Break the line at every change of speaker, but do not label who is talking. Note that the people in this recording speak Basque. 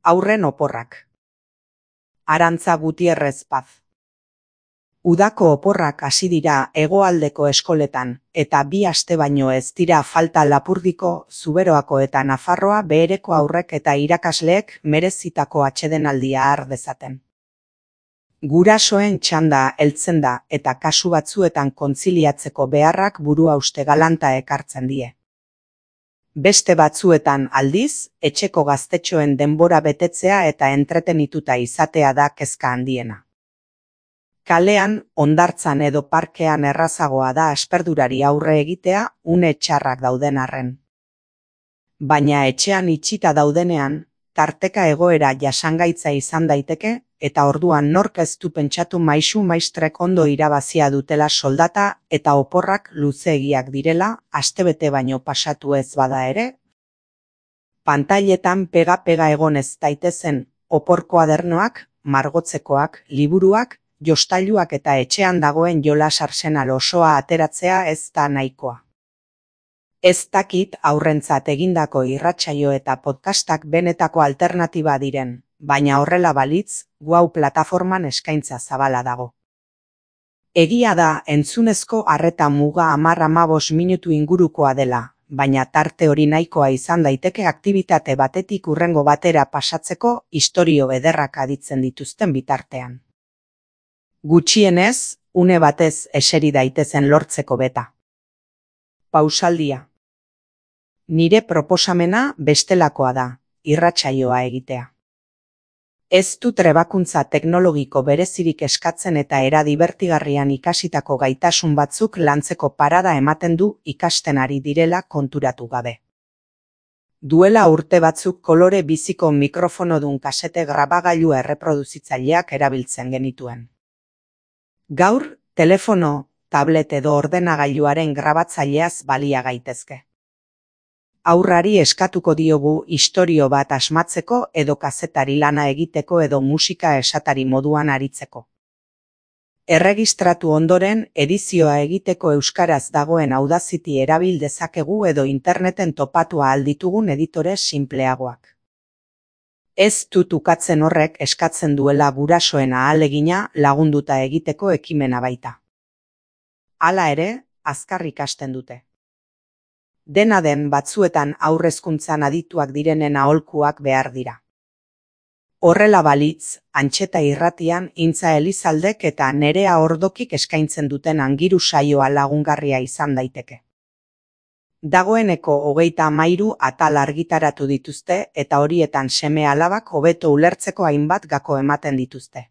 Aurren oporrak. Arantza Gutierrez Paz. Udako oporrak hasi dira hegoaldeko eskoletan, eta 2 aste baino ez dira falta Lapurdiko, Zuberoako eta Nafarroa Behereko haurrek eta irakasleek merezitako atsedenaldia har dezaten. Gurasoen txanda heltzen da eta kasu batzuetan kontziliatzeko beharrak buruhauste galanta ekartzen die. Beste batzuetan aldiz, etxeko gaztetxoen denbora betetzea eta entretenituta izatea da kezka handiena. Kalean, hondartzan edo parkean errazagoa da asperturari aurre egitea une txarrak dauden arren. Baina etxean itxita daudenean, tarteka egoera jasangaitza izan daiteke, eta orduan nork ez du pentsatu maisu-maistrek ondo irabazia dutela soldata eta oporrak luzeegiak direla, astebete baino pasatu ez bada ere. Pantailetan pega-pega egon ez daitezen opor koadernoak, margotzekoak, liburuak, jostailuak eta etxean dagoen jolas arsenal osoa ateratzea ez da nahikoa. Ez dakit haurrentzat egindako irratsaio eta podcastak benetako alternatiba diren, baina horrela balitz, Wow plataforman eskaintza zabala dago. Egia da entzunezko arreta muga 10-15 minutu ingurukoa dela, baina tarte hori nahikoa izan daiteke aktibitate batetik hurrengo batera pasatzeko istorio ederrak aditzen dituzten bitartean. Gutxienez, une batez eseri daitezen lortzeko beta. Pausaldia. Nire proposamena bestelakoa da, irratsaioa egitea. Ez du trebakuntza teknologiko berezirik eskatzen eta era dibertigarrian ikasitako gaitasun batzuk lantzeko parada ematen du ikasten ari direla konturatu gabe. Duela urte batzuk kolore biziko mikrofonodun kasete grabagailua erreproduzitzaileak erabiltzen genituen. Gaur, telefono, tablet edo ordenagailuaren grabatzaileaz balia gaitezke. Haurrari eskatuko diogu istorio bat asmatzeko edo kazetari lana egiteko edo musika esatari moduan aritzeko. Erregistratu ondoren, edizioa egiteko euskaraz dagoen Audacity erabil dezakegu edo interneten topatu ahal ditugun editore sinpleagoak. Ez dut ukatzen horrek eskatzen duela gurasoen ahalegina lagunduta egiteko ekimena baita. Hala ere, azkar ikasten dute. Dena den batzuetan haurrezkuntzan adituak direnen aholkuak behar dira. Horrela balitz, Antxeta irratian Intza Elizaldek eta Nerea Ordokik eskaintzen duten Angiru saioa lagungarria izan daiteke. Dagoeneko 33 atal argitaratu dituzte eta horietan seme-alabak hobeto ulertzeko hainbat gako ematen dituzte.